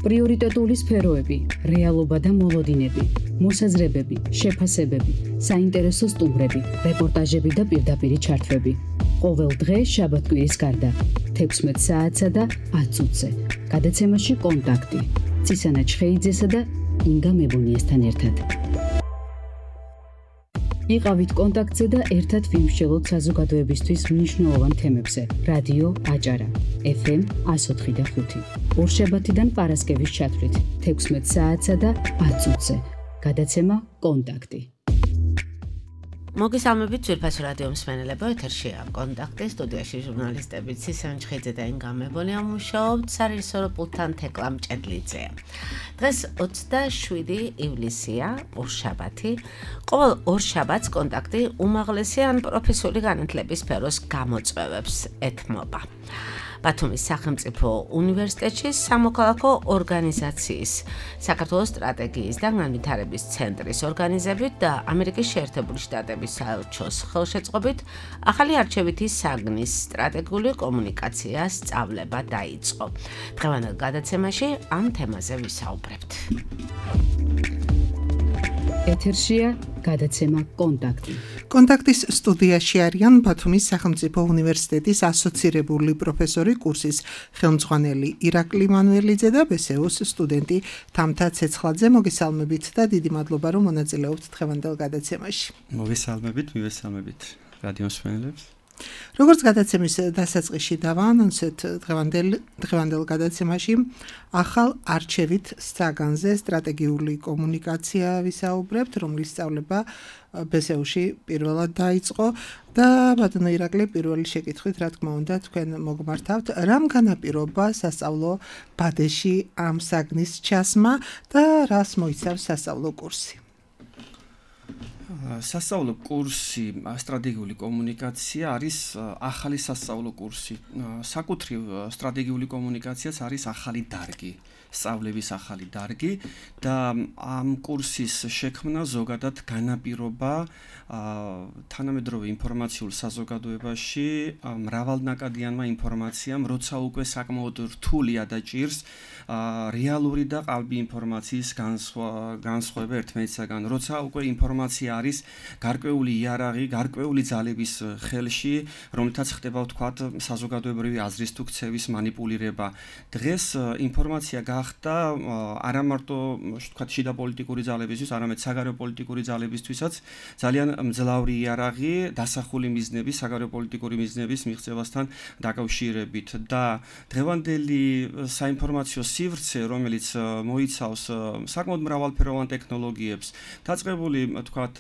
პრიორიტეტული სფეროები, რეალობა და მოლოდინები, მოსაზრებები, შეფასებები, საინტერესო სტუმრები, რეპორტაჟები და პირდაპირი ჩართვები. ყოველ დღე შაბათ-კვირის გარდა 16 საათსა და 10 წუთზე. გადაცემაში კონტაქტი. ცისანა ჩხეიძესა და ინგა მებუნიესთან ერთად. იყავით კონტაქტზე და ერთად ვიმსჯელოთ საზოგადოებისთვის მნიშვნელოვან თემებზე. რადიო აჭარა, FM 104.5. ორშაბათიდან პარასკევის ჩათვლით 16 საათსა და 10 წუთზე. გადაცემა კონტაქტი. მოგესალმებით ძვირფასო რადიო მსმენელებო, ეთერშია კონტაქტი, სტუდიაში ჟურნალისტები ცისანა ჩხეიძე და ინგა მებონია მუშაობთ, სარეჟისორო პულტთან თეკლა მჭედლიძეა. დღეს 27 ივლისია, ორშაბათი. ყოველ ორშაბათს კონტაქტი უმაღლესი ან პროფესიული განათლების სფეროს გამოწვევებს ეთმობა. ბათუმის სახელმწიფო უნივერსიტეტში სამოქალაქო ორგანიზაციის, საქართველოს სტრატეგიის და განვითარების ცენტრის ორგანიზებით და ამერიკის შეერთებული შტატების საელჩოს ხელშეწყობით ახალი არჩევითი საგნის სტრატეგიული კომუნიკაცია სწავლება დაიწყო. დღევანდელ გადაცემაში ამ თემაზე ვისაუბრებთ. ეთერშია გადაცემა კონტაქტი. კონტაქტის სტუდიაში არიან ბათუმის სახელმწიფო უნივერსიტეტის ასოცირებული პროფესორი, კურსის ხელმძღვანელი ირაკლი მანუელიძე და ბესეუს სტუდენტი თამთა ცეცხლაძე. მოგესალმებით და დიდი მადლობა, რომ მონაწილეობთ დღევანდელ გადაცემაში. მივესალმებით რადიო მსმენელებს. როგორც გადაცემის დასაწყისში დავაანონსეთ, დღევანდელ გადაცემაში ახალ არჩევით საგანზე სტრატეგიული კომუნიკაცია ვისაუბრებთ, რომლის სწავლება ბესეუში პირველად დაიწყო და ბატონო ირაკლი, პირველი შეკითხვით, რა თქმა უნდა, თქვენ მოგმართავთ, რამ განაპირობა სასწავლო ბადეში ამ საგნის ჩასმა და რას მოიცავს სასწავლო კურსი? სასწავლო კურსი სტრატეგიული კომუნიკაცია არის ახალი სასწავლო კურსი. საკუთრივ სტრატეგიული კომუნიკაციაც არის ახალი დარგი, სწავლების ახალი დარგი და ამ კურსის შექმნა ზოგადად განაპირობა თანამედროვე ინფორმაციულ საზოგადოებაში მრავალნაკადიანმა ინფორმაციამ, როცა უკვე საკმაოდ რთულია და ჭირს რეალური და ყალბი ინფორმაციის განსხვავება ერთმანეთისაგან, როცა უკვე ინფორმაცია არის გარკვეული იარაღი, გარკვეული ძალების ხელში, რომლითაც ხდება ვთქვათ საზოგადოებრივი აზრის თუ ქცევის манипуლირება. დღეს ინფორმაცია გახდა არა მარტო ვთქვათ შიდა პოლიტიკური ძალებისთვის, არამედ საგარეო პოლიტიკური ძალებისთვისაც ძალიან მძლავრი იარაღი დასახული მიზნების, საგარეო პოლიტიკური მიზნების მიღწევასთან დაკავშირებით და დღევანდელი საინფორმაციო სივრცე, რომელიც მოიცავს საკმაოდ მრავალფეროვან ტექნოლოგიებს, დაწყებული ვთქვათ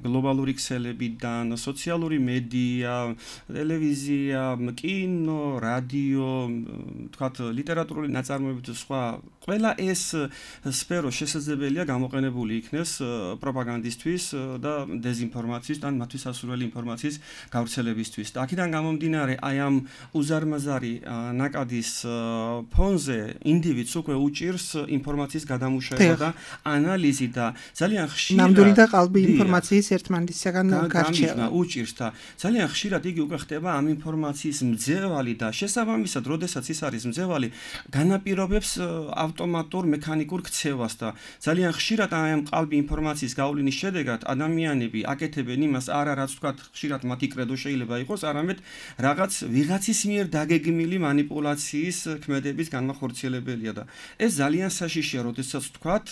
გლობალური ქსელებიდან, სოციალური მედია, ტელევიზია, კინო, რადიო, ვთქვათ ლიტერატურული ნაწარმოები და სხვა, ყველა ეს სფერო შესაძლებელია გამოყენებული იქნეს პროპაგანდისთვის და დეზინფორმაციის და მათთვის სასურველი ინფორმაციის გავრცელებისთვის. და აქედან გამომდინარე, აი ამ უზარმაზარი ნაკადის ფონზე ინდივიდს უკვე უჭირს ინფორმაციის გადამუშავება და ანალიზი და ძალიან ხშირად ნამდვილი და ყალბი ინფორმაციის ერთმანეთისაგან გარჩევა უჭირს და ძალიან ხშირად იგი უკვე ხდება ამ ინფორმაციის მძევალი და შესაბამისად, როდესაც ის არის მძევალი, განაპირობებს ავტომატურ მექანიკურ ქცევას და ძალიან ხშირად ამ ყალბი ინფორმაციის გავლენის შედეგად ადამიანები აკეთებენ იმას, არა რაც ვთქვათ ხშირად მათი კრედო შეიძლება იყოს, არამედ რაღაც ვიღაცის მიერ დაგეგმილი манипуლაციის ქმედების განმახორციელებელია და ეს ძალიან საშიშია, როდესაც ვთქვათ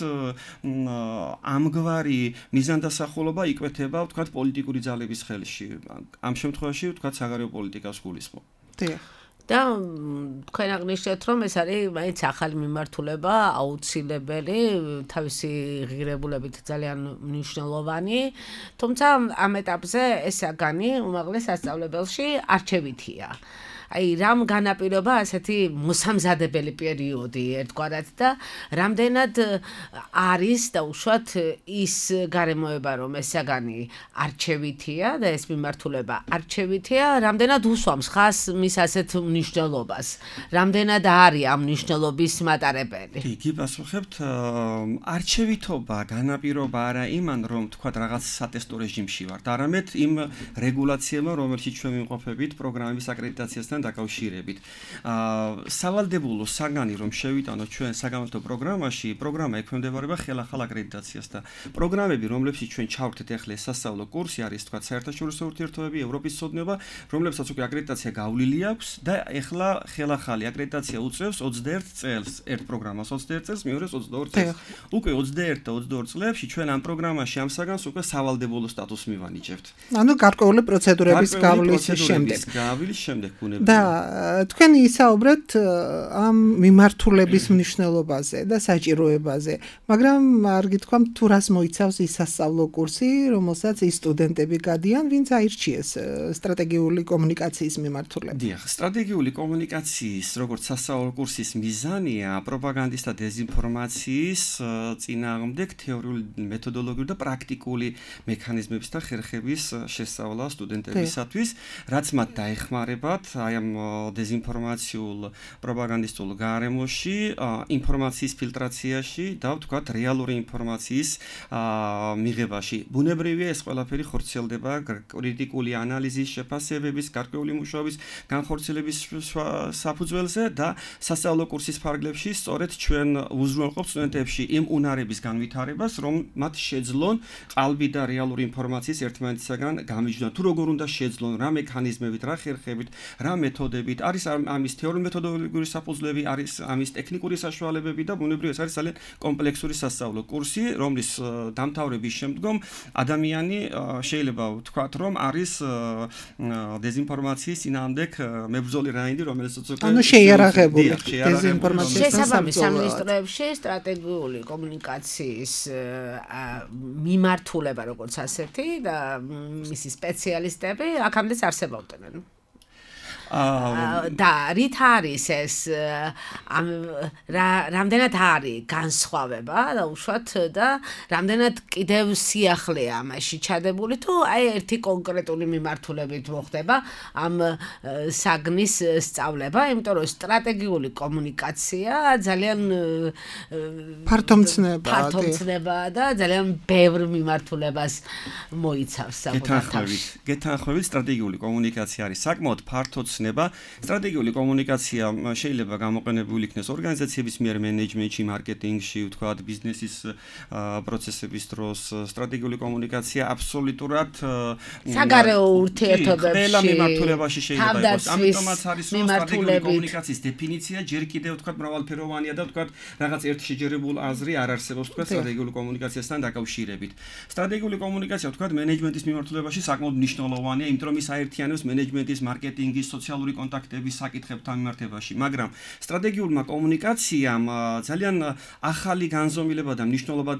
ამგვარი მიზანდასახულობა იკვეთება ვთქვათ პოლიტიკური ძალების ხელში. ამ შემთხვევაში ვთქვათ საგარეო პოლიტიკას გულისხმობ. და თქვენ აღნიშნეთ, რომ ეს არის მაინც ახალი მიმართულება, აუცილებელი, თავისი ღირებულებით ძალიან მნიშვნელოვანი, თუმცა ამ ეტაპზე ეს საგანი უმაღლეს სასწავლებელში არჩევითია. აი რამ განაპირობა ასეთი მოსამზადებელი პერიოდი ერთგვარად და რამდენად არის და უშუალოდ ის გარემოება, რომ ეს საგანი არჩევითია და ეს მიმართულება არჩევითია, რამდენად უსვამს ხას მის ასეთ მნიშვნელობას, რამდენად არის ამ მნიშვნელობის მატარებელი. იგი პასუხებთ, არჩევითობა განაპირობა არა იმან, რომ თქვათ რაღაც სატესტო რეჟიმში ვართ, არამედ იმ რეგულაციებმა, რომელშიც ჩვენ ვიმყოფებით პროგრამების აკრედიტაციასთან დაკავშირებით. სავალდებულო საგანი რომ შევიტანოთ ჩვენ საგამართლო პროგრამაში, პროგრამა ექვემდებარება ხელახალ აკრედიტაციას და პროგრამები, რომლებშიც ჩვენ ჩავერთეთ ახლა სასწავლო კურსი არის თქვა საერთაშორისო ურთიერთობები, ევროპის ცოდნება, რომლებსაც უკვე აკრედიტაცია გავლილი აქვს და ახლა ხელახალი აკრედიტაცია უწევს 21 წელს, ერთ პროგრამას 21 წელს, მეორეს 22 წელს. უკვე 21 და 22 წლებში ჩვენ ამ პროგრამაში ამ საგანს უკვე სავალდებულო სტატუსს მივანიჭებთ. ანუ გარკვეული პროცედურების გავლის შემდეგ ბუნებრივია. და თქვენ ისაუბრეთ ამ მიმართულების მნიშვნელობაზე და საჭიროებაზე, მაგრამ არ გითქვამთ თუ რას მოიცავს ის სასწავლო კურსი, რომელსაც ის სტუდენტები გადიან, ვინც აირჩიეს სტრატეგიული კომუნიკაციის მიმართულებით. დიახ, სტრატეგიული კომუნიკაციის როგორც სასწავლო კურსის მიზანია პროპაგანდის და დეზინფორმაციის წინააღმდეგ თეორიული, მეთოდოლოგიური და პრაქტიკული მექანიზმების და ხერხების შესწავლა სტუდენტებისათვის, რაც მათ დაეხმარებათ აი ამ დეზინფორმაციულ პროპაგანდისტულ გარემოში, ინფორმაციის ფილტრაციაში და ვთქვათ რეალური ინფორმაციის მიღებაში. ბუნებრივია ეს ყველაფერი ხორციელდება კრიტიკული ანალიზის, შეფასებების, გარკვეული მუშაობის განხორციელების საფუძველზე და სასწავლო კურსის ფარგლებში სწორედ ჩვენ უზრუნველყოფთ სტუდენტებში იმ უნარების განვითარებას, რომ მათ შეძლონ ყალბი და რეალური ინფორმაციის ერთმანეთისაგან გამიჯნონ. თუ როგორ უნდა შეძლონ, რა მექანიზმებით, რა ხერხებით, რა მეთოდებით, არის ამის თეორიული მეთოდოლოგიური საფუძვლები, არის ამის ტექნიკური საშუალებები და ბუნებრივია ეს არის ძალიან კომპლექსური სასწავლო კურსი, რომლის დამთავრების შემდგომ ადამიანი შეიძლება ვთქვათ, რომ არის დეზინფორმაციის წინააღმდეგ მებრძოლი რაინდი, რომელიც ანუ შეიარაღებული დეზინფორმაციის შესაბამის სამინისტროებში სტრატეგიული კომუნიკაციის მიმართულება როგორც ასეთი და მისი სპეციალისტები აქამდე არსებობდნენ. და რით არის ეს რამდენად არის განსხვავება და უშუალოდ და რამდენად კიდევ სიახლეა ამაში ჩადებული თუ აი ერთი კონკრეტული მიმართულებით მოხდება ამ საგნის სწავლება, იმიტომ რომ სტრატეგიული კომუნიკაცია ძალიან ფართომცნება და ძალიან ბევრ მიმართულებას მოიცავს საკუთარ. გეთანხმებით, სტრატეგიული კომუნიკაცია არის საკმაოდ ფართო სტრატეგიული კომუნიკაცია შეიძლება გამოყენებული იქნეს ორგანიზაციების მიერ მენეჯმენტში, მარკეტინგში, ვთქვათ, ბიზნესის პროცესების დროს. სტრატეგიული კომუნიკაცია აბსოლუტურად საგარეო ურთიერთობებში ყველა მიმართულებაში შეიძლება იყოს. ამიტომაც არის რომ სტრატეგიული კომუნიკაციის დეფინიცია ჯერ კიდევ ვთქვათ მრავალფეროვანია და ვთქვათ რაღაც ერთ შეჯერებულ აზრი არ არსებობს ვთქვათ სტრატეგიული კომუნიკაციასთან დაკავშირებით. სტრატეგიული კომუნიკაცია ვთქვათ მენეჯმენტის მიმართულებაში საკმაოდ მნიშვნელოვანია, იმიტომ რომ ის აერთიანებს მენეჯმენტის, მარკეტინგის, სოციალური კონტაქტების საკითხებთან მიმართებაში, მაგრამ სტრატეგიულმა კომუნიკაციამ ძალიან ახალი განზომილება და მნიშვნელობა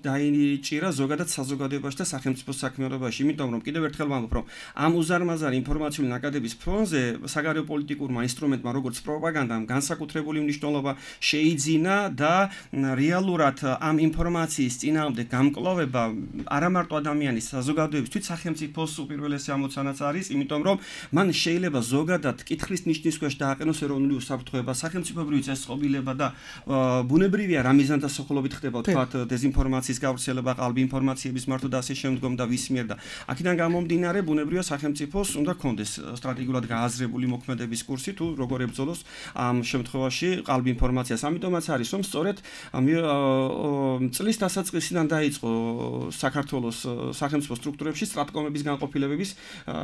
დაინიჭირა ზოგადად საზოგადოებაში და სახელმწიფო საქმიანობაში, იმიტომ რომ კიდევ ერთხელ ვამბობ, რომ ამ უზარმაზარი ინფორმაციული ნაკადების ფონზე საგარეო პოლიტიკურმა ინსტრუმენტმა, როგორც პროპაგანდამ, განსაკუთრებული მნიშვნელობა შეიძინა და რეალურად ამ ინფორმაციის წინააღმდეგ გამკლავება არა მარტო ადამიანის საზოგადოების, თვით სახელმწიფოს უპირველესი ამოცანაც არის, იმიტომ რომ მან შეიძლება ზოგადად კითხვის ნიშნის ქვეშ დააყენოს ეროვნული უსაფრთხოება, სახელმწიფოებრივი წესწყობილება და ბუნებრივია რა მიზანთა სოხლობით ხდება თქვათ დეზინფორმაციის გავრცელება, ყალბი ინფორმაციების მართვა და ასე შემდგომ და ვის მიერ და აქედან გამომდინარე ბუნებრივია სახელმწიფოს უნდა კონდეს სტრატეგიულად გააზრებული მოქმედების კურსი თუ როგორ ებრძოლოს ამ შემთხვევაში ყალბი ინფორმაციას. ამიტომაც არის რომ სწორედ წლის დასაწყისიდან დაიწყო საქართველოს სახელმწიფო სტრუქტურებში სტრატკომების განყოფილებების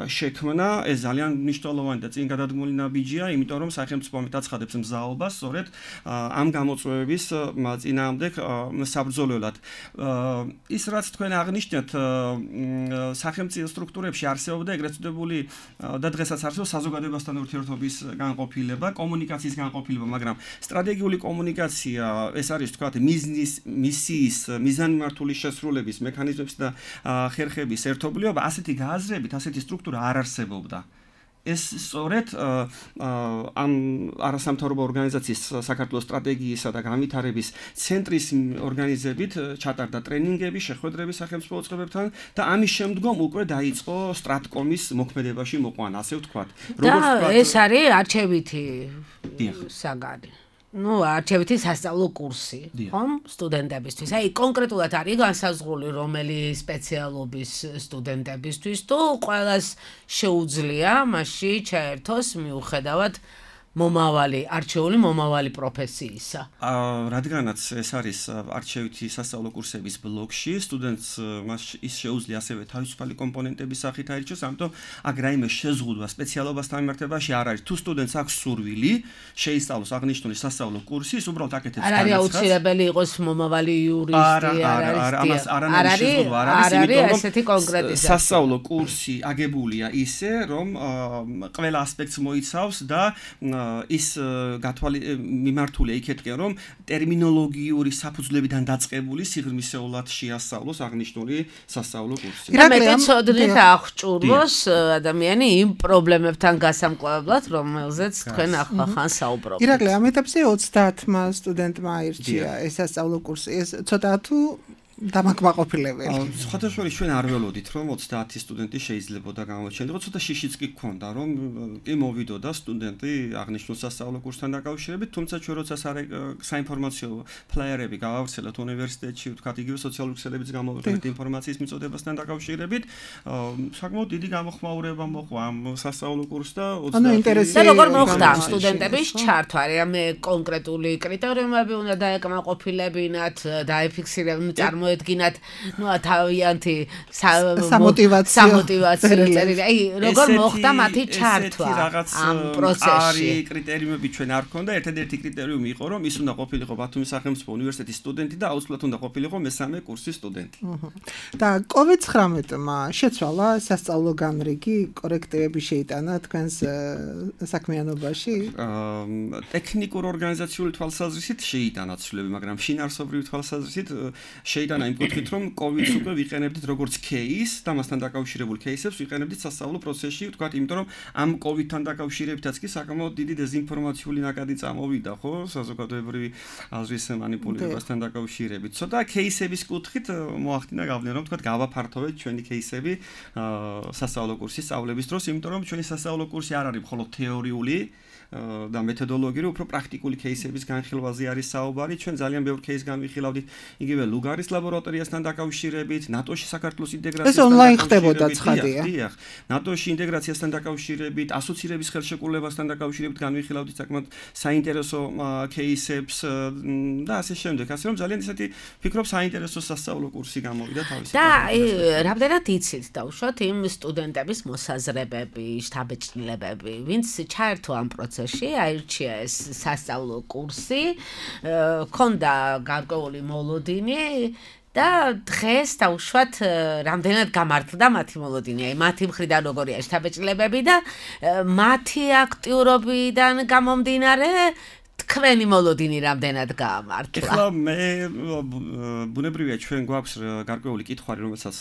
შექმნა. ეს ძალიან მნიშვნელოვანი და წინ გადადგმული ნაბიჯია, იმიტომ რომ სახელმწიფო ამიტაცხადებს მზაობას სწორედ ამ გამოწვევების წინააღმდეგ საბრძოლველად. ის რაც თქვენ აღნიშნეთ, სახელმწიფო სტრუქტურებში არსებობდა ეგრეთ წოდებული და დღესაც არსებობს საზოგადოებასთან ურთიერთობის განყოფილება, კომუნიკაციის განყოფილება, მაგრამ სტრატეგიული კომუნიკაცია ეს არის თქვათ მისიის მიზანმიმართული შესრულების მექანიზმების და ხერხების ერთობლიობა, ასეთი გააზრებით, ასეთი სტრუქტურა არ არსებობდა. ეს სწორედ ამ არასამთავრობო ორგანიზაციის საქართველოს სტრატეგიისა და განვითარების ცენტრის ორგანიზებით ჩატარდა ტრენინგები, შეხვედრები სახელმწიფო უწყებებთან და ამის შემდგომ უკვე დაიწყო სტრატკომის მოქმედებაში მოყვანა, ასე ვთქვათ. და ეს არის არჩევითი საგანი. არჩევითი სასწავლო კურსი, ხომ? სტუდენტებისთვის. აი, კონკრეტულად არის განსაზღვრული რომელი სპეციალობის სტუდენტებისთვის თუ ყველას შეუძლია მასში ჩაერთოს მიუხედავად არჩეული მომავალი პროფესიისა. რადგანაც ეს არის არჩევითი სასწავლო კურსების ბლოკში, სტუდენტს ის შეუძლია ასევე თავისუფალი კომპონენტების სახით აირჩიოს, ამიტომ აქ რაიმე შეზღუდვა სპეციალობასთან მიმართებაში არ არის. თუ სტუდენტს აქვს სურვილი, შეისწავლოს აღნიშნული სასწავლო კურსი, ის უბრალოდ აკეთებს განაცხადს. არ არის აუცილებელი იყოს მომავალი იურისტი, არ არის ესეთი კონკრეტიზაცია. სასწავლო კურსი აგებულია ისე, რომ ყველა ასპექტს მოიცავს და ის მიმართულია იქეთკენ, რომ ტერმინოლოგიური საფუძვლებიდან დაწყებული სიღრმისეულად შეასწავლოს აღნიშნული სასწავლო კურსი. მეტი ცოდნით აღჭურვოს ადამიანი იმ პრობლემებთან გასამკლავებლად, რომელზეც თქვენ ახალ საუბრობთ. ირაკლი, ამ ეტაპზე 30-მა სტუდენტმა აირჩია ეს სასწავლო კურსი. ეს ცოტა თუ დამაკმაყოფილებელი. სხვადასხვა ჩვენ არ ველოდით, რომ 30 სტუდენტი შეიძლებოდა გამოჩენილიყო, ცოტა შიშიც კი გქონდა, რომ კი მოვიდოდა სტუდენტი აღნიშნულ სასწავლო კურსთან დაკავშირებით, თუმცა ჩვენ როცა საინფორმაციო ფლაიერები გავავრცელოთ უნივერსიტეტში, ვთქვათ, იგივე სოციალური ქსელების გამოვიყენეთ ინფორმაციის მიწოდებასთან დაკავშირებით, საკმაოდ დიდი გამოხმაურება მოყვა ამ სასწავლო კურსს და 30 და როგორ მოხდა ამ სტუდენტების ჩართვა? რამე კონკრეტული კრიტერიუმები უნდა დაეკმაყოფილებინათ, დაიფიქსირებინათ, ედგინათ თავიანთი სამოტივაციო წერილი. აი, როგორ მოხდა მათი ჩართვა ამ პროცესში? არის კრიტერიუმები ჩვენ არ გქონდა. ერთადერთი კრიტერიუმი იყო, რომ ის უნდა ყოფილიყო ბათუმის სახელმწიფო უნივერსიტეტის სტუდენტი და აუცილებლად უნდა ყოფილიყო მესამე კურსის სტუდენტი. და COVID-19-მა შეცვალა სასწავლო განრიგი, კორექტივები შეიტანა თქვენს საქმიანობაში? ტექნიკურ ორგანიზაციული თვალსაზრისით შეიტანა ცვლილები, მაგრამ შინაარსობრივი თვალსაზრისით შეიტანა იმ კუთხით, რომ COVID-ს უკვე ვიყენებდით როგორც кейს და მასთან დაკავშირებულ кейსებს ვიყენებდით სასწავლო პროცესში, ვთქვათ, იმიტომ რომ ამ COVID-თან დაკავშირებითაც კი საკმაოდ დიდი დეზინფორმაციული ნაკადი წამოვიდა, ხო, საზოგადოებრივი აზრის მანიპულირებასთან დაკავშირებით. ცოტა кейსების კუთხით მოახდინა გავლენა, რომ ვთქვათ, გავაფართოვეთ ჩვენი кейსები სასწავლო კურსის სწავლების დროს, იმიტომ რომ ჩვენი სასწავლო კურსი არ არის მხოლოდ თეორიული და მეთოდოლოგიური, უფრო პრაქტიკული кейსების განხილვაზე არის საუბარი. ჩვენ ძალიან ბევრ кейს განვიხილავდით იგივე ლუგარის ლაბორატორიასთან დაკავშირებით, ნატოში საქართველოს ინტეგრაციასთან. ეს ონლაინ ხდებოდა ცხადია. დიახ, ნატოში ინტეგრაციასთან დაკავშირებით, ასოცირების ხელშეკრულებასთან დაკავშირებით განვიხილავდით საკმაოდ საინტერესო кейსებს და ასე შემდეგ. ასე რომ ძალიან ისეთი ვფიქრობ საინტერესო სასწავლო კურსი გამოვიდა თავისით. და რამდენად იცით დაუშვათ იმ სტუდენტების მოსაზრებები, შთაბეჭდილებები, ვინც ჩაერთო ამ პროცესში, აირჩია ეს სასწავლო კურსი, ქონდა გარკვეული მოლოდინი და დღეს დაუშვათ რამდენად გამართლდა მათი მოლოდინი, აი მათი მხრიდან როგორია შთაბეჭდილებები და მათი აქტიურობიდან გამომდინარე თქვენი მოლოდინი რამდენად გაამართლა? ეხლა მე ბუნებრივია ჩვენ გვაქვს გარკვეული კითხვარი, რომელსაც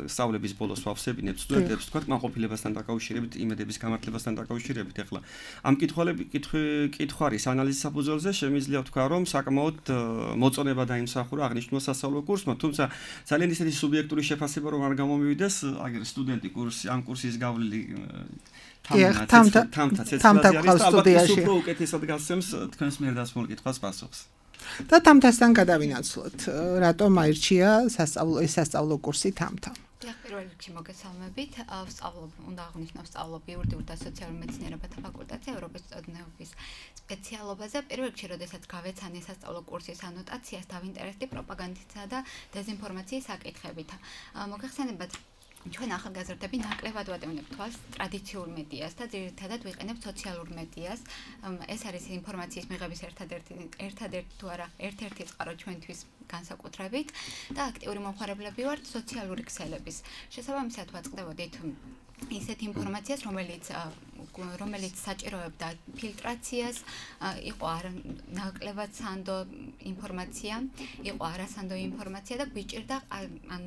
სწავლების ბოლოს ვავსებინებთ სტუდენტებს, თქვა კმაყოფილებასთან დაკავშირებით, იმედების გამართლებასთან დაკავშირებით. ეხლა ამ კითხვარის ანალიზის საფუძველზე შემიძლია ვთქვა, რომ საკმაოდ მოწონება დაიმსახურა აღნიშნულ სასწავლო კურსმა, თუმცა ძალიან ისეთი სუბიექტური შეფასება რომ არ გამომივიდეს, აგერ სტუდენტი ამ კურსის გავლილი თამთა სტუდიაში უფრო უკეთესად გასცემს თქვენს მიერ დასმულ კითხვას პასუხს. და თამთასთან გადავინაცვლოთ, რატომ აირჩია სასწავლო კურსი თამთა? პირველ რიგში მოგესალმებით. უნდა აღვნიშნო სწავლობ იურიდიულ და სოციალურ მეცნიერებათა ფაკულტეტზე ევროპის წოდნეობის სპეციალობაზე. პირველ რიგში, როდესაც გავეცანი სასწავლო კურსის ანოტაციას, დავინტერესდი პროპაგანდისა და დეზინფორმაციის საკითხებით. მოგეხსენებათ, ჩვენ ახალგაზრდები ნაკლებად ვატევნებთ თვალს ტრადიციულ მედიას და ძირითადად ვიყენებთ სოციალურ მედიას. ეს არის ინფორმაციის მიღების ერთ-ერთი წყარო ჩვენთვის განსაკუთრებით და აქტიური მომხმარებლები ვართ სოციალური ქსელების. შესაბამისად ვაწყდებოდით ისეთ ინფორმაციას, რომელიც საჭიროებდა ფილტრაციას, იყო ნაკლებად სანდო ინფორმაცია, იყო არასანდო ინფორმაცია და გვიჭირდა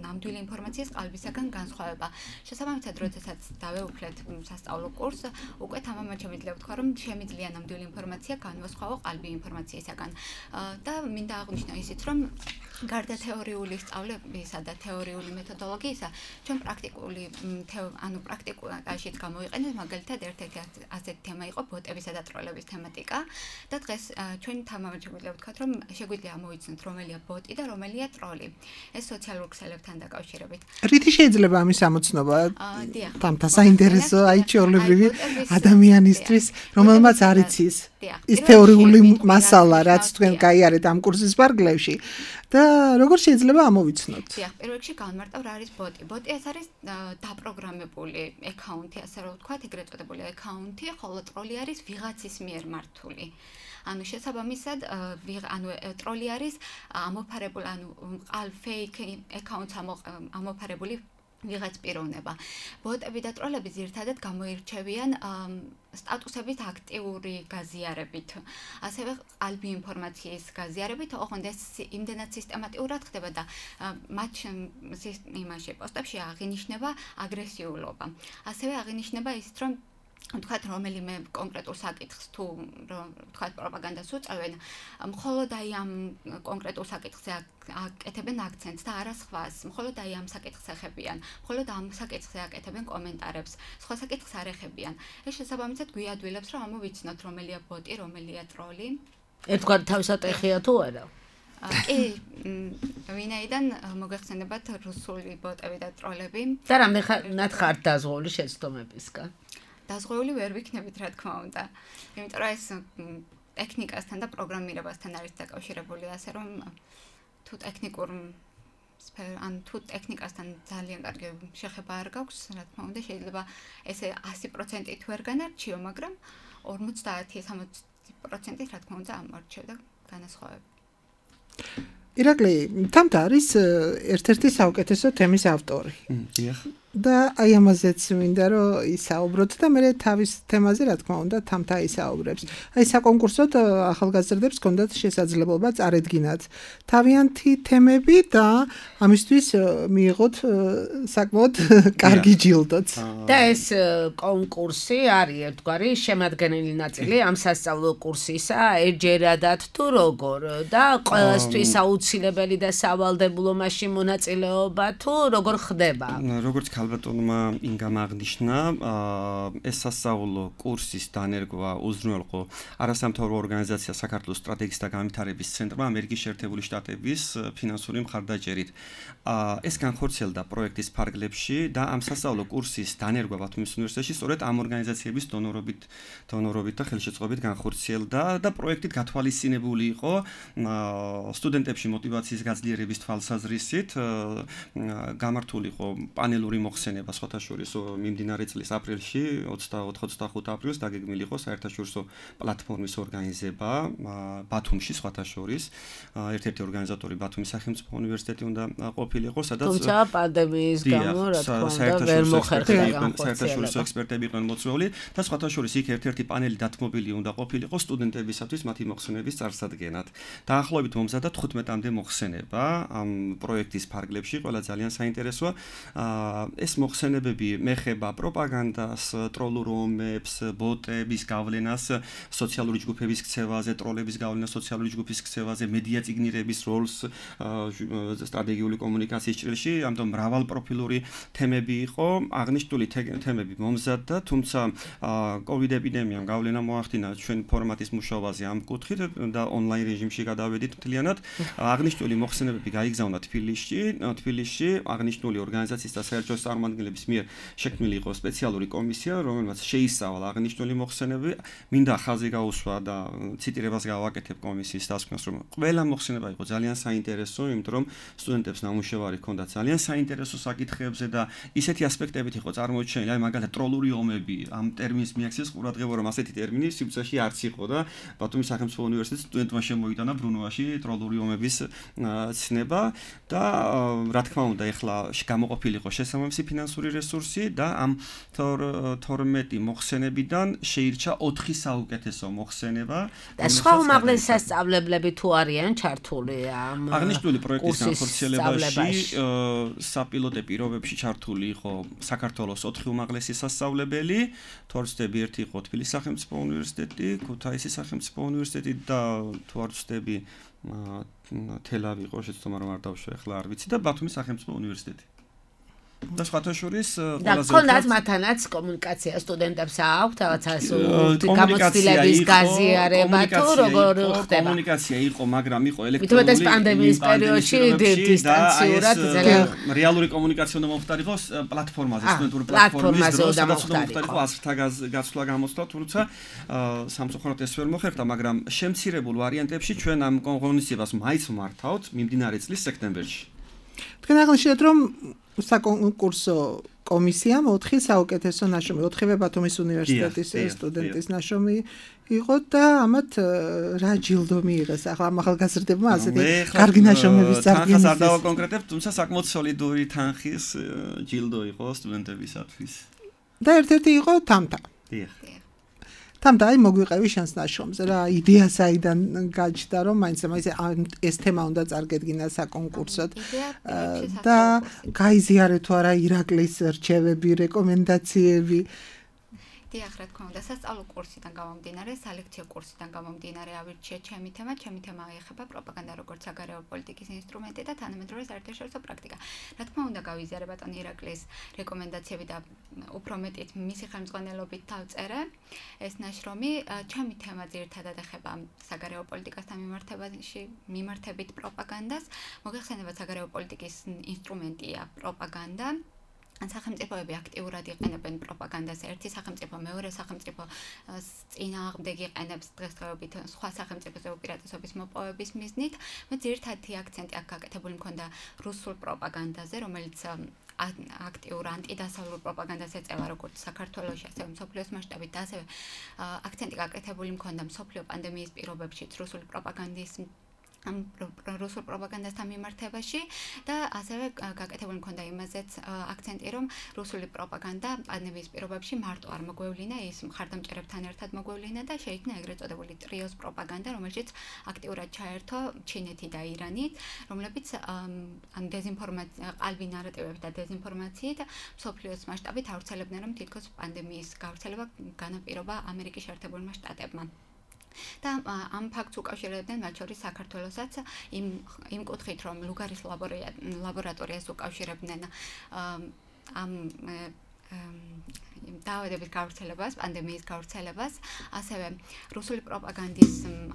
ნამდვილი ინფორმაციის ყალბისაგან განსხვავება. შესაბამისად, როდესაც დავეუფლეთ სასწავლო კურსს, უკვე თამამად შემიძლია ვთქვა, რომ შემიძლია ნამდვილი ინფორმაცია განვასხვაო ყალბი ინფორმაციისაგან. და მინდა აღვნიშნო ისიც, რომ გარდა თეორიული სწავლებისა და თეორიული მეთოდოლოგიისა, ჩვენ პრაქტიკული პრაქტიკაშიც გამოიყენეთ, მაგალითად ერთ-ერთი ასეთი თემა იყო ბოტებისა და ტროლების თემატიკა და დღეს ჩვენ თამამაჩემიძლია ვთქვათ, რომ შეგვიძლია ამოვიცნოთ რომელია ბოტი და რომელია ტროლი. ეს სოციალურ ქსელებთან დაკავშირებით. რითი შეიძლება ამის ამოცნობა? დიახ. თამთა საინტერესო აი ჩვეულებრივი ადამიანისთვის, რომელმაც არ იცის ის თეორიული მასალა, რაც თქვენ გაიარეთ ამ კურსის პარკლებში და როგორ შეიძლება ამოვიცნოთ? დიახ, პირველ რიგში განმარტავ რა არის ბოტი. ბოტი ეს არის დაპროგრამებული აკაუნტი, ასე რომ ვთქვათ, ეგრეთ წოდებული აკაუნტი, ხოლო ტროლი არის ვიღაცის მიერ მართული. ანუ შესაბამისად, ტროლი არის ამოფარებული, fake accounts ამოფარებული ვიღაც პიროვნება. ბოტები და ტროლები ძირითადად გამოირჩევიან სტატუსებით აქტიური გაზიარებით, ასევე ყალბი ინფორმაციის გაზიარებით, ოღონდ ეს იმდენად სისტემატიურად ხდება და მათ პოსტებში აღინიშნება აგრესიულობა. ასევე აღინიშნება ისიც, რომ ვთქვათ, რომელიმე კონკრეტულ საკითხს თუ ვთქვათ პროპაგანდას უწევენ, მხოლოდ აი ამ კონკრეტულ საკითხზე აკეთებენ აქცენტს და არა სხვას, მხოლოდ აი ამ საკითხს ეხებიან, მხოლოდ ამ საკითხზე აკეთებენ კომენტარებს, სხვა საკითხს არ ეხებიან. ეს შესაბამისად გვიადვილებს, რომ ამოვიცნოთ რომელია ბოტი, რომელია ტროლი. ერთგვარი თავსატეხია თუ არა? კი, ვინაიდან მოგეხსენებათ რუსული ბოტები და ტროლები. და რამდენად ხართ დაზღვეული შეცდომებისგან? დაზღვეული ვერ ვიქნებით, რა თქმა უნდა. იმიტომ რომ ეს ტექნიკასთან და პროგრამირებასთან არის დაკავშირებული, ასე რომ თუ თუ ტექნიკასთან ძალიან კარგი შეხება არ გაქვს, რა თქმა უნდა, შეიძლება ესე 100% თუ ვერ განარჩიო, მაგრამ 50-60% რა თქმა უნდა ამორჩევდა განასხვავება. ირაკლი, თამთა არის ერთ-ერთი საუკეთესო თემის ავტორი. დიახ. და აი ამაზეც მინდა რომ ისაუბროთ და მე თავის თემაზე რა თქმა უნდა თამთა ისაუბრებს. აი საკონკურსოდ ახალგაზრდებს ჰქონდათ შესაძლებლობა წარედგინათ თავიანთი თემები და ამისთვის მიიღოთ საკმაოდ კარგი ჯილდოც. და ეს კონკურსი არის ერთგვარი შემადგენელი ნაწილი ამ სასწავლო კურსისა, ერთჯერადად თუ როგორ და ყველასთვის აუცილებელი და სავალდებულო მაშინ მონაწილეობა თუ როგორ ხდება? როგორც ქალბატონმა ინგამ აღნიშნა, ეს სასწავლო კურსის დანერგვა უზრუნველყო არასამთავრობო ორგანიზაცია საქართველოს სტრატეგიის და განვითარების ცენტრმა ამერიკის შეერთებული შტატების ფინანსური მხარდაჭერით. ეს განხორციელდა პროექტის ფარგლებში და ამ სასწავლო კურსის დანერგვა ბათუმის უნივერსიტეტში სწორედ ამ ორგანიზაციების დონორობით და ხელშეწყობით განხორციელდა და პროექტით გათვალისწინებული იყო სტუდენტებში მოტივაციის გაძლიერების თვალსაზრისით გამართული იყო პანელური მოხსენება სხვათა შორის მიმდინარე წლის აპრილში 24-25 აპრილს დაგეგმილი იყო საერთაშორისო პლატფორმის ორგანიზება ბათუმში სხვათა შორის ერთ-ერთი ორგანიზატორი ბათუმის სახელმწიფო უნივერსიტეტი უნდა ყოფილიყო სადაც თუმცა პანდემიის გამო რა თქმა უნდა ვერ მოხერხდა საერთაშორისო ექსპერტები იყვნენ მოწვეული და სხვათა შორის იქ ერთ-ერთი პანელი დათმობილი უნდა ყოფილიყო სტუდენტებისათვის მათი მოხსენების წარსადგენად. დაახლოებით მომზადდა 15-მდე მოხსენება ამ პროექტის ფარგლებში, ყველა ძალიან საინტერესოა. ეს მოხსენებები მეხება პროპაგანდას, ტროლურ ომებს, ბოტების გავლენას, სოციალური ჯგუფების ქცევაზე, ტროლების გავლენას სოციალური ჯგუფის ქცევაზე, მედია წიგნირების როლს სტრატეგიული კომუნიკაციის ჭრილში, ამიტომ მრავალპროფილური თემები იყო, აღნიშნული თემები მომზადდა, თუმცა COVID ეპიდემიამ გავლენა მოახდინა ჩვენ ფორმატის მუშაობაზე ამ კუთხით და ონლაინ რეჟიმში გადავედით მთლიანად. აღნიშნული მოხსენებები გაიგზავნა თბილისში, აღნიშნული ორგანიზაციის და საერთაშორისო წარმომადგენლების მიერ შექმნილი იყო სპეციალური კომისია, რომელმაც შეისწავლა აღნიშნული მოხსენებები. მინდა ხაზი გაუსვა და ციტირებას გავაკეთებ კომისიის დასკვნას, რომ ყველა მოხსენება იყო ძალიან საინტერესო, იმიტომ რომ სტუდენტებს ნამუშევარი ჰქონდათ ძალიან საინტერესო საკითხებზე და ისეთი ასპექტებით იყო წარმოჩენილი, აი მაგალითად ტროლური ომები, ამ ტერმინს მიაქცევს ყურადღება, რომ ასეთი ტერმინი სივრცეში არც იყო და ბათუმის სახელმწიფო უნივერსიტეტის სტუდენტმა შემოიტანა ბრუნვაში ტროლური ომების ცნება და რა თქმა უნდა ეხლა გამოყოფილიყო შესაბამისი ფინანსური რესურსი და ამ 12 მოხსენებიდან შეირჩა 4 საუკეთესო მოხსენება. და სხვა უმაღლესი სასწავლებლები თუ არიან ჩართული ამ აღნიშნული პროექტის განხორციელებაში საპილოტე პირობებში ჩართული იყო საქართველოს 4 უმაღლესი სასწავლებელი, თუ არ ვცდები, ერთი იყო თბილისის სახელმწიფო უნივერსიტეტი, ქუთაისის სახელმწიფო უნივერსიტეტი და თუ არ ვცდები თელავი იყო შეცდომა რომ არ დავშვე ახლა არ ვიცი და ბათუმის სახელმწიფო უნივერსიტეტი. და სხვათა შორის ყველაზე კონდაც მათანაც კომუნიკაცია სტუდენტებს აქვთ რაღაცა გამოცდილების გაზიარება თუ როგორ ხდება კომუნიკაცია იყო მაგრამ იყო ელექტრონული მithmetes პანდემიის პერიოდში დისტანციურად ძალიან რეალური კომუნიკაცია უნდა მომხდარიყო პლატფორმაზე სტუდენტური პლატფორმაზე სადაც უნდა მომხდარიყო ასრთა გაცვლა გამოსვლა თუმცა სამწუხაროდ ეს ვერ მოხერხდა მაგრამ შემცირებულ ვარიანტებში ჩვენ ამ ღონისძიებას მაინც მართავთ მიმდინარე წლის სექტემბერში. თქვენ აღნიშნეთ რომ საკონკურსო კომისიამ 4 საუკეთესო ნაშრომი 4-ვე ბათუმის უნივერსიტეტის სტუდენტის ნაშრომი იყო და ამათ რა ჯილდო მიიღეს ახლა ახალგაზრდებმა ასეთი კარგი ნაშრომების წარდგენის არ დავაკონკრეტებ თუმცა საკმაოდ სოლიდური თანხის ჯილდო იყო სტუდენტებისათვის და ერთ-ერთი იყო თამთა თამთა აი მოგვიყევი შენს ნაშრომზე რა იდეა საიდან გაჩნდა რომ მაინც ეს თემა უნდა წარგედგინა საკონკურსოდ და გაიზიარეთ თუ არა ირაკლის რჩევები რეკომენდაციები დიახ, რა თქმა უნდა, სასწავლო კურსიდან გამომდინარე, სალექციო კურსიდან გამომდინარე ავირჩიე ჩემი თემა ეხება პროპაგანდა როგორც საგარეო პოლიტიკის ინსტრუმენტი და თანამედროვე საერთაშორისო პრაქტიკა. რა თქმა უნდა, გავიზიარე ბატონ ირაკლის რეკომენდაციები და უფრო მეტიც მისი ხელმძღვანელობით დავწერე ეს ნაშრომი. ჩემი თემა ძირითადად ეხება საგარეო პოლიტიკასთან მიმართებით პროპაგანდას. მოგეხსენებათ საგარეო პოლიტიკის ინსტრუმენტია პროპაგანდა. სახელმწიფოები აქტიურად იყენებენ პროპაგანდას ერთი სახელმწიფო მეორე სახელმწიფო წინააღმდეგ იყენებს დღესდღეობით სხვა სახელმწიფოზე უპირატესობის მოპოვების მიზნით. მე ძირითადი აქცენტი აქ გაკეთებული მქონდა რუსულ პროპაგანდაზე, რომელიც აქტიურ ანტიდასავლურ პროპაგანდას ეწევა როგორც საქართველოში, ასევე მსოფლიოს მასშტაბით და ასევე აქცენტი გაკეთებული მქონდა მსოფლიო პანდემიის პირობებშიც რუსული პროპაგანდის რუსულ პროპაგანდასთან მიმართებაში და ასევე გაკეთებული მქონდა იმაზეც აქცენტი რომ რუსული პროპაგანდა პანდემიის პირობებში მარტო არ მოგვევლინა ის მხარდამჭერებთან ერთად მოგვევლინა და შეიქმნა ეგრეთ წოდებული ტრიოს პროპაგანდა რომელშიც აქტიურად ჩაერთო ჩინეთი და ირანი რომლებიც ამ ყალბი ნარატივებით და დეზინფორმაციით მსოფლიოს მასშტაბით ავრცელებდნენ რომ თითქოს პანდემიის გავრცელება განაპირობა ამერიკის შეერთებულმა შტატებმა. და ამ ფაქტს უკავშირებდნენ მათ შორის საქართველოსაც იმ კუთხით რომ ლუგარის ლაბორატორიას უკავშირებდნენ ამ დაავადების გავრცელებას, პანდემიის გავრცელებას, ასევე რუსული პროპაგანდის,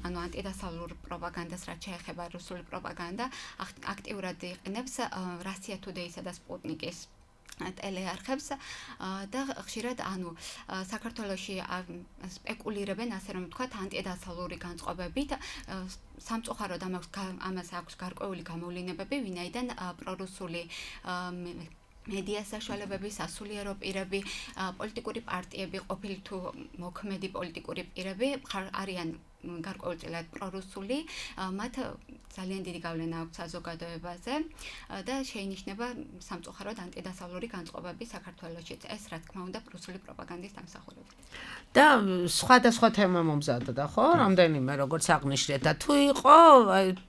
ანუ ანტიდასავლურ პროპაგანდას რაც შეეხება რუსული პროპაგანდა, აქტიურად იყენებს Russia Today-სა და Sputnik-ის ტელეარხებს და ხშირად საქართველოში სპეკულირებენ ასე რომ ვთქვათ ანტიდასავლური განწყობებით სამწუხაროდ ამას აქვს გარკვეული გამოვლინებები ვინაიდან პრორუსული მედია საშუალებები, სასულიერო პირები, პოლიტიკური პარტიები, ყოფილი თუ მოქმედი პოლიტიკური პირები არიან გარკვეულწილად პრორუსული, მათ ძალიან დიდი გავლენა აქვს საზოგადოებაზე და შეინიშნება სამწუხაროდ ანტიდასავლური განწყობები საქართველოში. ეს რა თქმა უნდა რუსული პროპაგანდის დამსახურებით. და სხვადასხვა თემა მომზადდა, ხო? რამდენიმე როგორც აღნიშნეთ და თუ იყო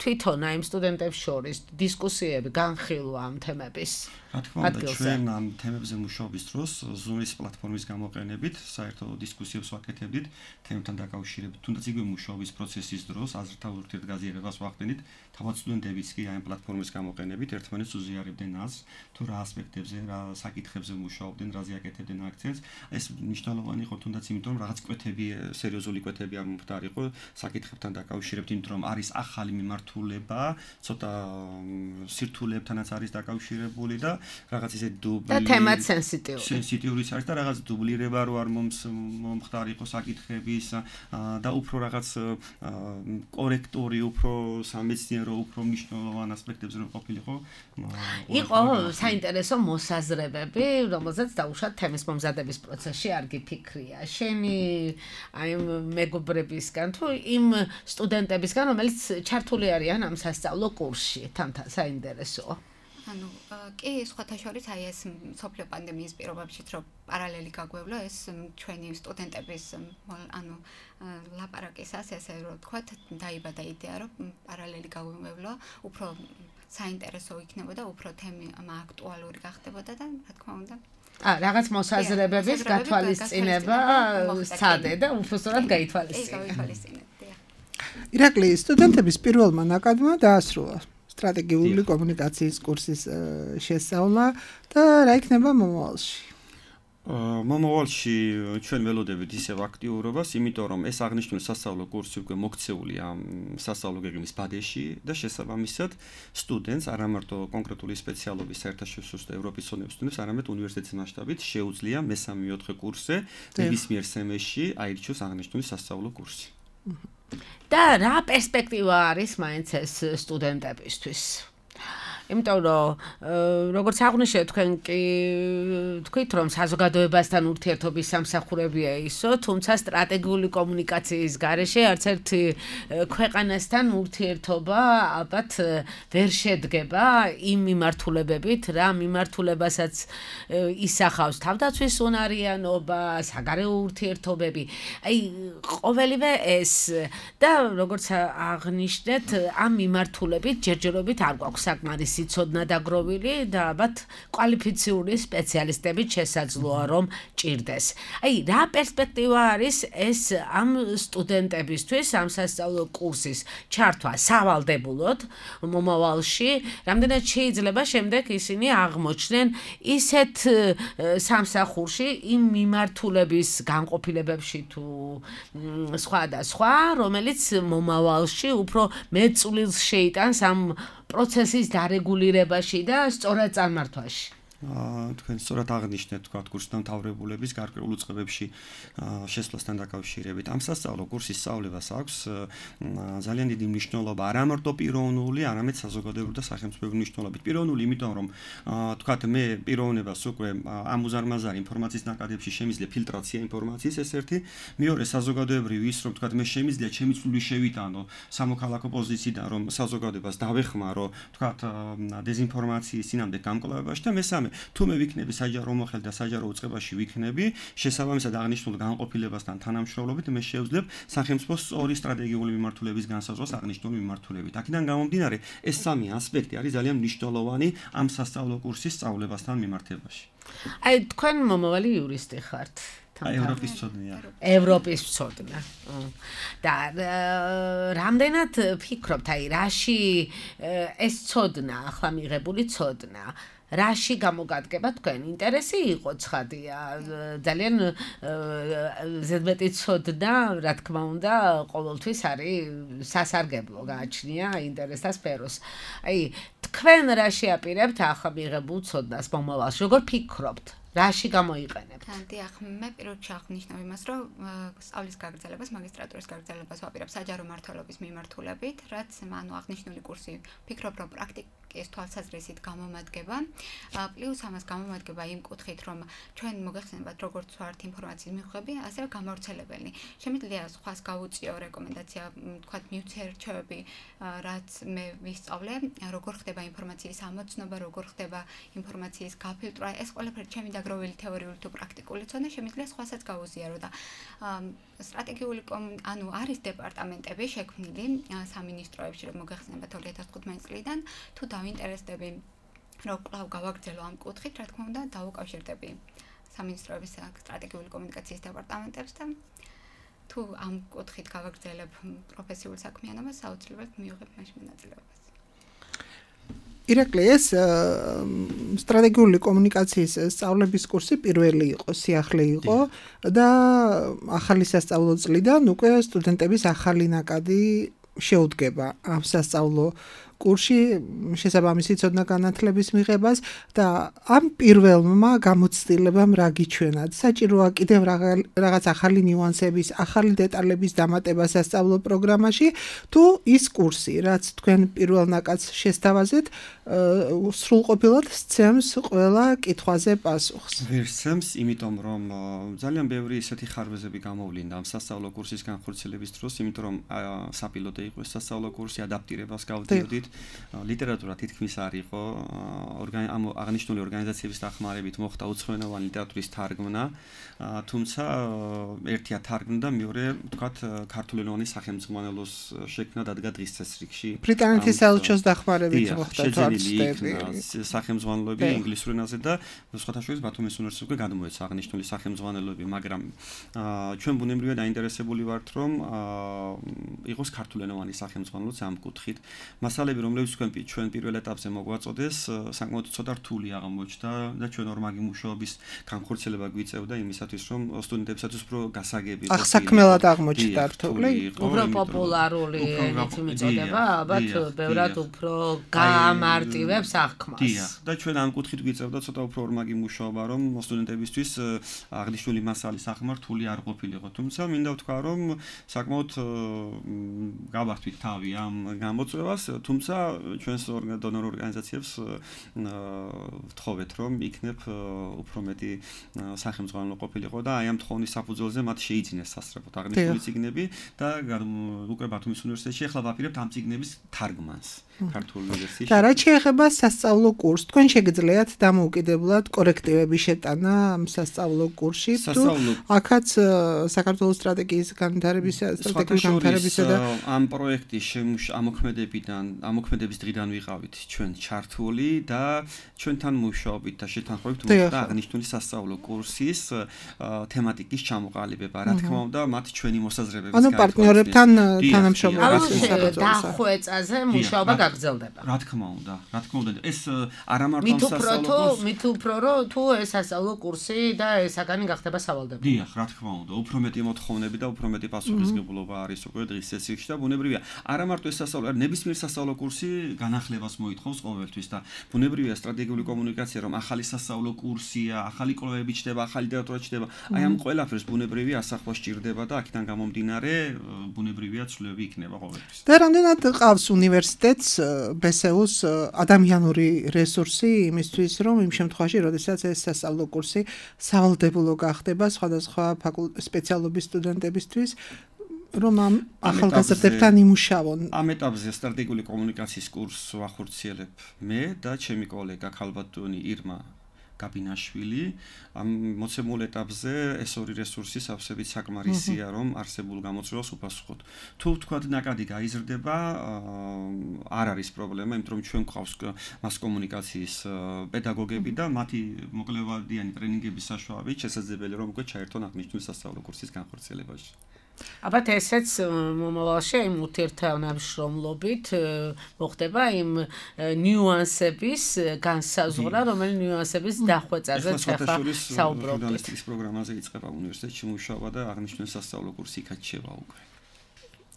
თვითონ აი სტუდენტებს შორის დისკუსიები, განხილვა ამ თემების. რა თქმა უნდა, ჩვენ ამ თემებზე მუშაობის დროს Zoom-ის პლატფორმის გამოყენებით საერთო დისკუსიებს ვაკეთებდით თემთან დაკავშირებით. თუნდაც იგივე მუშაობის პროცესის დროს აზრთა ურთიერთგაზიარებას ვახდენით, თავად სტუდენტებიც კი ამ პლატფორმის გამოყენებით ერთმანეთს უზიარებდნენ აზრს, თუ რა ასპექტებზე, რა საკითხებზე მუშაობდნენ, რაზე აკეთებდნენ აქცენტს. ეს მნიშვნელოვანი იყო თუნდაც იმიტომ, რომ რაღაც კვეთები, სერიოზული კვეთები არ მომხდარიყო საკითხებთან დაკავშირებით, იმიტომ რომ არის ახალი მიმართულება, ცოტა სირთულეებთანაც არის დაკავშირებული და რაღაც ისე დუბლი და თემაც სენსიტიურიც არის და რაღაც დუბლირება რო არ მომხდარიყო საკითხების და უფრო რაღაც კორექტორი, უფრო სამეცნიერო, უფრო მნიშვნელოვან ასპექტებზე რო ყოფილიყო. იყო საინტერესო მოსაზრებები, რომელზეც დაუშვათ თემის მომზადების პროცესში არ გიფიქრია. შენი აი მეგობრებისგან თუ იმ სტუდენტებისგან, რომელიც ჩართული არიან ამ სასწავლო კურსში, თამთა საინტერესოა. ანუ კი სხვათა შორის აი ეს მსოფლიო პანდემიის პირობებშიც რომ პარალელი გაგვევლო ეს ჩვენი სტუდენტების ანუ ლაპარაკისას ესე რომ ვთქვათ დაიბადა იდეა რომ პარალელი გაგვევლო უფრო საინტერესო იქნებოდა უფრო თემა აქტუალური გახდებოდა და რა თქმა უნდა რაღაც მოსაზრებების გათვალისწინება სცადე და უბრალოდ გაითვალისწინე. ირაკლი, სტუდენტების პირველმა ნაკადმა დაასრულა სტრატეგიული კომუნიკაციის კურსის შესწავლა და რა იქნება მომავალში? მომავალში ჩვენ ველოდებით ისევ აქტიურობას, იმიტომ რომ ეს აღნიშნული სასწავლო კურსი უკვე მოქცეულია სასწავლო გეგმის ბადეში და შესაბამისად სტუდენტს არა მარტო კონკრეტული სპეციალობის საერთაშორისო და ევროპის ცოდნების სტუდენტს, არამედ უნივერსიტეტის მასშტაბით შეუძლია მესამე-მეოთხე კურსზე ნებისმიერ სემესტრში აირჩიოს აღნიშნული სასწავლო კურსი. და რა პერსპექტივა არის მაინც ეს სტუდენტებისთვის? იმიტომ რომ როგორც აღნიშნეთ თქვენ კი თქვით რომ საზოგადოებასთან ურთიერთობის სამსახურებია ისო, თუმცა სტრატეგიული კომუნიკაციის გარეშე არც ერთი ქვეყანასთან ურთიერთობა ალბათ ვერ შედგება იმ მიმართულებებით, რა მიმართულებასაც ისახავს თავდაცვის უნარიანობა, საგარეო ურთიერთობები. აი ყოველივე ეს და როგორც აღნიშნეთ, ამ მიმართულებით ჯერჯერობით არ გვაქვს საკმარისი ცოდნა დაგროვილი და ალბათ კვალიფიციური სპეციალისტებით შესაძლოა რომ ჭირდეს. აი რა პერსპექტივა არის ეს ამ სტუდენტებისთვის ამ სასწავლო კურსის ჩართვა სავალდებულოდ მომავალში, რამდენად შეიძლება შემდეგ ისინი აღმოჩნდნენ ისეთ სამსახურში იმ მიმართულების განყოფილებებში თუ სხვა და სხვა, რომელიც მომავალში უფრო მეტ წვლილს შეიტანს ამ პროცესის დარეგულირებაში და სწორად წარმართვაში. თქვენ სწორად აღნიშნეთ, თქვა კურსდამთავრებულების გარკვეულ უწყებებში შესვლასთან დაკავშირებით. ამ სასწავლო კურსის სწავლებას აქვს ძალიან დიდი მნიშვნელობა არა მარტო პიროვნული, არამედ საზოგადოებრივი და სახელმწიფოებრივი მნიშვნელობით. პიროვნული, იმიტომ რომ თქვა მე პიროვნებას უკვე ამ უზარმაზარი ინფორმაციის ნაკადებში შემიძლია ფილტრაცია ინფორმაციის, ეს ერთი, მეორე საზოგადოებრივი ის რომ თქვა მე შემიძლია ჩემი წვლილი შევიტანო სამოქალაქო პოზიციიდან რომ საზოგადოებას დავეხმარო, თქვა დეზინფორმაციის წინამდე გამკლავებაში და მესამე თუ მე ვიქნები საჯარო მოხელე და საჯარო უწყებაში ვიქნები, შესაბამისად აღნიშნულ განყოფილებასთან თანამშრომლობით მე შევძლებ სახელმწიფოს სწორი სტრატეგიული მიმართულების განსაზღვრას აღნიშნული მიმართულებით. აქედან გამომდინარე, ეს სამი ასპექტი არის ძალიან მნიშვნელოვანი ამ სასწავლო კურსის სწავლებასთან მიმართებაში. აი თქვენ მომავალი იურისტი ხართ. ევროპის ცოდნია. ევროპის ცოდნა. და რამდენად ფიქრობთ, აი რაში ეს ცოდნა, ახლა მიღებული ცოდნა რაში გამოგადგება თქვენ ინტერესი იყო ცხადია ძალიან ზედმეტი ცოდნა რა თქმა უნდა ყოველთვის არის სასარგებლო გააჩნია ინტერესთა სფეროს აი თქვენ რაში აპირებთ ახლა მიღებულ ცოდნას მომავალში როგორ ფიქრობთ რაში გამოიყენებთ? დიახ, მე პირველ რიგში აღნიშნავ იმას, რომ სწავლის გაგრძელებას, მაგისტრატურის გაგრძელებას ვაპირებ საჯარო მმართველობის მიმართულებით, რაც ანუ აღნიშნული კურსი ფიქრობ, რომ პრაქტიკის თვალსაზრისით გამომადგება. პლუს ამას გამომადგება იმ კუთხით, რომ ჩვენ მოგეხსენებათ, როგორც ვართ ინფორმაციის მიღები, ასევე გამავრცელებელი. შემიძლია სხვას გავუწიო რეკომენდაცია, თქვათ მივცე რჩევები, რაც მე ვისწავლე, როგორ ხდება ინფორმაციის ამოცნობა, როგორ ხდება ინფორმაციის გაფილტრა, ეს ყველაფერი ჩემი გროვილი თეორიული თუ პრაქტიკული ცოდნა შემიძლია სხვასაც გაუზიარო და სტრატეგიული ანუ არის დეპარტამენტები შექმნილი სამინისტროებში რომ მოგეხსენებათ 2015 წლიდან თუ დავინტერესდები რომ კვლავ გავაგრძელო ამ კუთხით რა თქმა უნდა დავუკავშირდები სამინისტროების სტრატეგიული კომუნიკაციის დეპარტამენტებს და თუ ამ კუთხით გავაგრძელებ პროფესიულ საქმიანობას საოცრებად მივიღებ მაშინ მონაწილეობას ირაკლი ეს სტრატეგიული კომუნიკაციის სწავლების კურსი პირველი იყო, სიახლე იყო და ახალი სასწავლო წლიდან უკვე სტუდენტების ახალი ნაკადი შეუდგება ამ სასწავლო კურსში შესაბამისი ცოდნა განათლების მიღებას და ამ პირველმა გამოცდილებამ რა გიჩვენათ? საჭიროა კიდევ რაღაც ახალი ნიუანსების, ახალი დეტალების დამატება სასწავლო პროგრამაში თუ ის კურსი, რაც თქვენ პირველ ნაკადს შესთავაზეთ, სრულყოფილად სცემს ყველა კითხვაზე პასუხს. ვერსემს, იმიტომ რომ ძალიან ბევრი ისეთი ხარვეზები გამოვლინდა ამ სასწავლო კურსის განხორციელების დროს, იმიტომ რომ საპილოტო იყო ეს სასწავლო კურსი, ადაპტირებას გავდიოდით ლიტერატურა თითქმის არ იყო ამ აღნიშნული ორგანიზაციების დახმარებით მოხდა უცხოენოვანი ლიტერატურის თარგმნა, თუმცა ერთია თარგმნა და მეორე ვთქვათ ქართულენოვანი სახელმძღვანელოს შექმნა დადგა დღის წესრიგში. ბრიტანეთის საელჩოს დახმარებით მოხდა თარგმნები სახელმძღვანელოები ინგლისურ ენაზე და სხვათა შორის ბათუმის უნივერსიტეტს უკვე გადმოეცა აღნიშნული სახელმძღვანელოები, მაგრამ ჩვენ ბუნებრივად დაინტერესებული ვართ რომ იყოს ქართულენოვანი სახელმძღვანელოც ამ კუთხით. მასალები რომლებიც ჩვენ პირველ ეტაპზე მოგვაწოდეს, საკმაოდ ცოტა რთული აღმოჩნდა და ჩვენ ორმაგი მუშაობის განხორციელება გვიწევდა იმისათვის, რომ სტუდენტებისათვის უფრო გასაგები იყო. ახსაქმელად აღმოჩნდა რთული, უფრო პოპულარული ენით მიწოდება, ალბათ ბევრად უფრო გაამარტივებს აღქმას. დიახ, და ჩვენ ამ კუთხით გვიწევდა ცოტა უფრო ორმაგი მუშაობა, რომ სტუდენტებისთვის აღნიშნული მასალის აღქმა რთული არ ყოფილიყო. თუმცა მინდა ვთქვა, რომ საკმაოდ გავართვით თავი ამ გამოწვევას, თუმცა ჩვენს დონორ ორგანიზაციებს ვთხოვეთ, რომ იქნებ უფრო მეტი სახელმძღვანელო ყოფილიყო და აი ამ თხოვნის საფუძველზე მათ შეიძინეს სასწრაფოდ აღნიშნული წიგნები და უკვე ბათუმის უნივერსიტეტში ახლა ვაპირებთ ამ წიგნების თარგმანს ქართული ვერსიაში. და რაც შეეხება სასწავლო კურსს, თქვენ შეგიძლიათ დამოუკიდებლად კორექტივები შეტანა ამ სასწავლო კურსში. აქაც საქართველოს სტრატეგიის განვითარებისა და ამ პროექტის ამოქმედების დღიდან ვიყავით ჩვენ ჩართული და ჩვენთან მუშაობით და შეთანხმებით მოხდა აღნიშნული სასწავლო კურსის თემატიკის ჩამოყალიბება. რა თქმა უნდა, მათ ჩვენი მოსაზრებების ანუ პარტნიორებთან თანამშრომლობას დახვეწაზე მუშაობა გაგრძელდება. რა თქმა უნდა, ეს არა მარტო სასწავლო მით უფრო რომ თუ ეს სასწავლო კურსი და ესაგანი გახდება სავალდებულო. დიახ, რა თქმა უნდა, უფრო მეტი მოთხოვნები და უფრო მეტი პასუხისმგებლობა არის უკვე დღის წესრიგში და ბუნებრივია. არა მარტო ეს სასწავლო, ნებისმიერ სასწავლო კურსი განახლებას მოითხოვს ყოველთვის და ბუნებრივია სტრატეგიული კომუნიკაცია, რომ ახალი სასწავლო კურსია, ახალი კვლევები ჩდება, ახალი ლიტერატურა ჩდება. აი ამ ყველაფერს ბუნებრივია ასახვა სჭირდება და აქედან გამომდინარე ბუნებრივია ცვლილები იქნება ყოველთვის. და რამდენად ყავს უნივერსიტეტს ბესეუს ადამიანური რესურსი იმისთვის, რომ იმ შემთხვევაში, როდესაც ეს სასწავლო კურსი სავალდებულო გახდება სხვადასხვა სპეციალობის სტუდენტებისთვის, რომ ამ ახალგაზრდებთან იმუშავონ. ამ ეტაპზე სტრატეგიული კომუნიკაციის კურსს ვახორციელებ მე და ჩემი კოლეგა ქალბატონი ირმა გაბინაშვილი. ამ მოცემულ ეტაპზე ეს ორი რესურსი სავსებით საკმარისია, რომ არსებულ გამოწვევას უპასუხოთ. თუ ვთქვათ ნაკადი გაიზრდება, არ არის პრობლემა, იმიტომ რომ ჩვენ გვყავს მას კომუნიკაციის პედაგოგები და მათი მოკლევადიანი ტრენინგების საშუალებით შესაძლებელია რომ უკვე ჩაერთონ აღნიშნული სასწავლო კურსის განხორციელებაში. ალბათ ესეც მომავალში იმ ურთიერთთანამშრომლობით მოხდება იმ ნიუანსების განსაზღვრა, რომელი ნიუანსების დახვეწაზე ხება საუბრობთ. ჟურნალისტიკის პროგრამაზე იწყება უნივერსიტეტში მუშაობა და აღნიშნული სასწავლო კურსი იქაც შევა უკვე.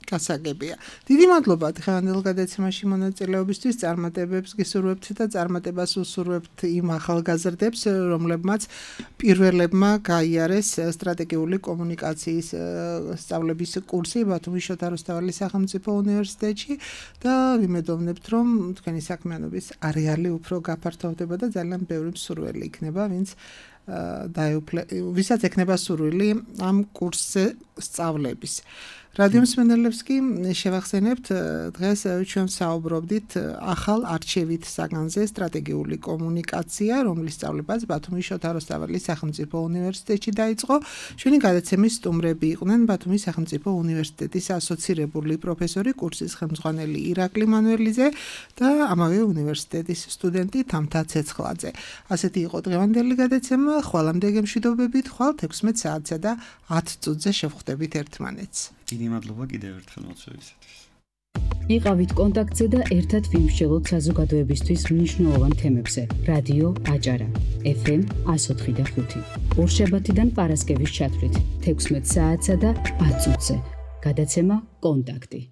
გასაგებია. დიდი მადლობა დღევანდელ გადაცემაში მონაწილეობისთვის, წარმატებებს გისურვებთ და წარმატებას უსურვებთ იმ ახალგაზრდებს, რომლებმაც პირველებმა გაიარეს სტრატეგიული კომუნიკაციის სწავლების კურსი ბათუმის შოთა რუსთაველის სახელმწიფო უნივერსიტეტში და ვიმედოვნებთ, რომ თქვენი საქმიანობის არეალი უფრო გაფართოვდება და ძალიან ბევრი მსურველი იქნება, ვისაც ექნება სურვილი ამ კურსზე სწავლების. რადიო მსმენელებს კი შევახსენებთ, დღეს ჩვენ საუბრობდით ახალ არჩევით საგანზე სტრატეგიული კომუნიკაცია, რომლის სწავლებაც ბათუმის შოთა რუსთაველის სახელმწიფო უნივერსიტეტში დაიწყო. ჩვენი გადაცემის სტუმრები იყვნენ ბათუმის სახელმწიფო უნივერსიტეტის ასოცირებული პროფესორი, კურსის ხელმძღვანელი ირაკლი მანუელიძე და ამავე უნივერსიტეტის სტუდენტი თამთა ცეცხლაძე. ასეთი იყო დღევანდელი გადაცემა. ხვალამდე გემშვიდობებით, ხვალ 16 საათსა და 10 წუთზე შევხვდებით ერთმანეთს. დიდი მადლობა კიდევ ერთხელ მოწვევისათვის. იყავით კონტაქტზე და ერთად ვიმსჯელოთ საზოგადოებისთვის მნიშვნელოვან თემებზე. რადიო აჭარა FM 104.5. ორშაბათიდან პარასკევის ჩათვლით 16 საათსა და 10 წუთზე. გადაცემა კონტაქტი.